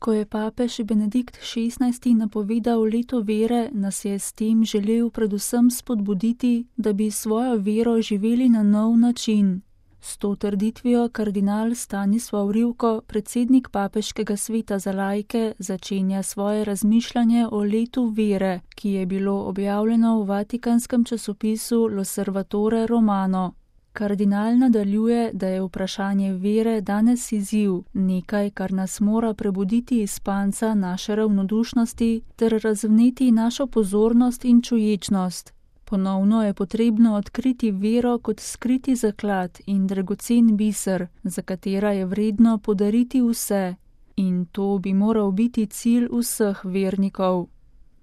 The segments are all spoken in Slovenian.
Ko je papež Benedikt XVI. Napovedal leto vere, nas je s tem želel predvsem spodbuditi, da bi svojo vero živeli na nov način. S to trditvijo kardinal Stanislav Rivko, predsednik Papeškega sveta za laike, začenja svoje razmišljanje o letu vere, ki je bilo objavljeno v vatikanskem časopisu L'Osservatore Romano. Kardinal nadaljuje, da je vprašanje vere danes izziv, nekaj, kar nas mora prebuditi iz spanca naše ravnodušnosti ter razvneti našo pozornost in čuječnost. Ponovno je potrebno odkriti vero kot skriti zaklad in dragocen biser, za katera je vredno podariti vse. In to bi moral biti cilj vseh vernikov.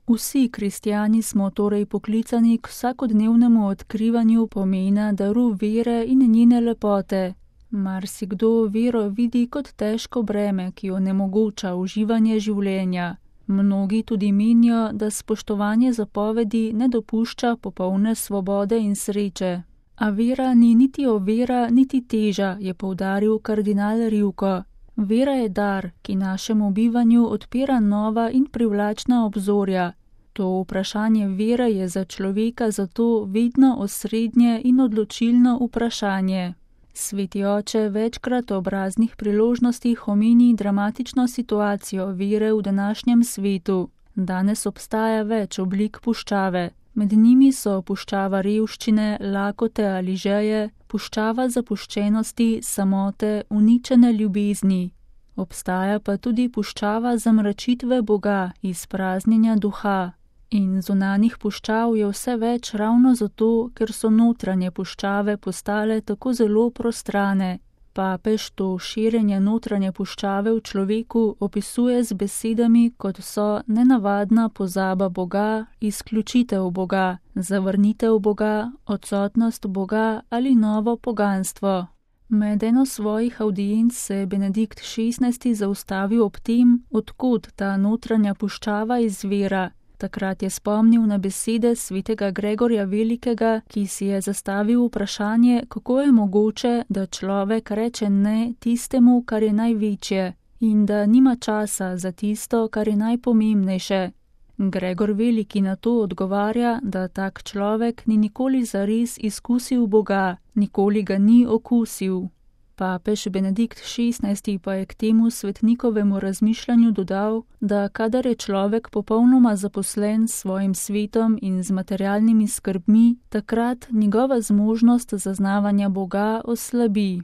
Vsi kristjani smo torej poklicani k vsakodnevnemu odkrivanju pomena daru vere in njene lepote. Marsikdo vero vidi kot težko breme, ki onemogoča uživanje življenja. Mnogi tudi menijo, da spoštovanje zapovedi ne dopušča popolne svobode in sreče. A vera ni niti ovira, niti teža, je poudaril kardinal Rivko. Vera je dar, ki našemu bivanju odpira nova in privlačna obzorja. To vprašanje vere je za človeka zato vedno osrednje in odločilno vprašanje. Sveti oče večkrat ob raznih priložnostih omeni dramatično situacijo vere v današnjem svetu. Danes obstaja več oblik puščave. Med njimi so puščava revščine, lakote ali žeje, puščava zapuščenosti, samote, uničene ljubezni. Obstaja pa tudi puščava zamračitve Boga, izpraznjenja duha. In zunanjih puščav je vse več ravno zato, ker so notranje puščave postale tako zelo prostrane. Papež to širjenje notranje puščave v človeku opisuje z besedami, kot so nenavadna pozaba Boga, izključitev Boga, zavrnitev Boga, odsotnost Boga ali novo poganstvo. Med eno svojih avdienc se je Benedikt XVI. Zaustavil ob tem, odkod ta notranja puščava izvira. Takrat je spomnil na besede svetega Gregorja Velikega, ki si je zastavil vprašanje, kako je mogoče, da človek reče ne tistemu, kar je največje, in da nima časa za tisto, kar je najpomembnejše. Gregor Veliki na to odgovarja, da tak človek ni nikoli zares izkusil Boga, nikoli ga ni okusil. Papež Benedikt XVI. Pa je k temu svetnikovemu razmišljanju dodal, da kadar je človek popolnoma zaposlen s svojim svetom in z materialnimi skrbmi, takrat njegova zmožnost zaznavanja Boga oslabi.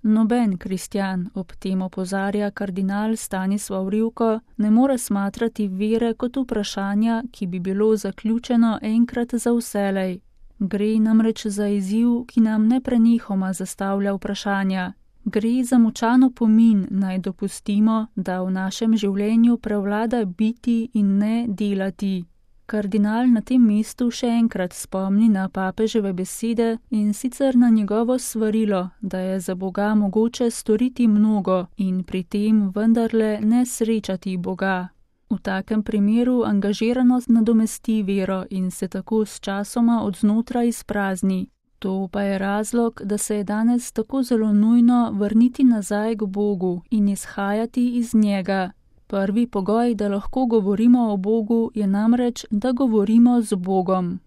Noben kristjan, ob tem opozarja kardinal Stanislav Rivko, ne more smatrati vere kot vprašanja, ki bi bilo zaključeno enkrat za vselej. Gre namreč za izziv, ki nam neprenehoma zastavlja vprašanja. Gre za močan opomin, naj dopustimo, da v našem življenju prevlada biti in ne delati. Kardinal na tem mestu še enkrat spomni na papeževe besede in sicer na njegovo svarilo, da je za Boga mogoče storiti mnogo in pri tem vendarle ne srečati Boga. V takem primeru angažiranost nadomesti vero in se tako s časoma od znotraj izprazni. To pa je razlog, da se je danes tako zelo nujno vrniti nazaj k Bogu in izhajati iz njega. Prvi pogoj, da lahko govorimo o Bogu, je namreč, da govorimo z Bogom.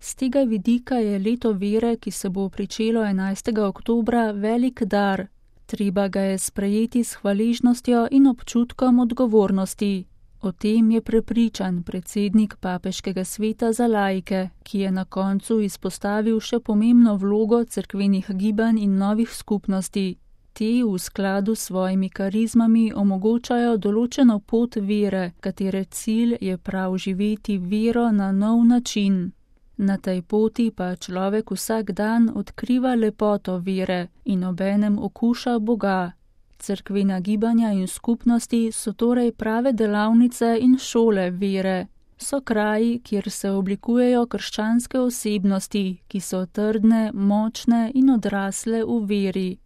Z tega vidika je leto vere, ki se bo pričelo 11. oktobra, velik dar. Treba ga je sprejeti s hvaležnostjo in občutkom odgovornosti. O tem je prepričan predsednik Papeškega sveta za laike, ki je na koncu izpostavil še pomembno vlogo cerkvenih gibanj in novih skupnosti. Te v skladu s svojimi karizmami omogočajo določeno pot vere, katere cilj je prav živeti vero na nov način. Na tej poti pa človek vsak dan odkriva lepoto vere in obenem okuša Boga. Cerkvena gibanja in skupnosti so torej prave delavnice in šole vere. So kraji, kjer se oblikujejo krščanske osebnosti, ki so trdne, močne in odrasle v veri.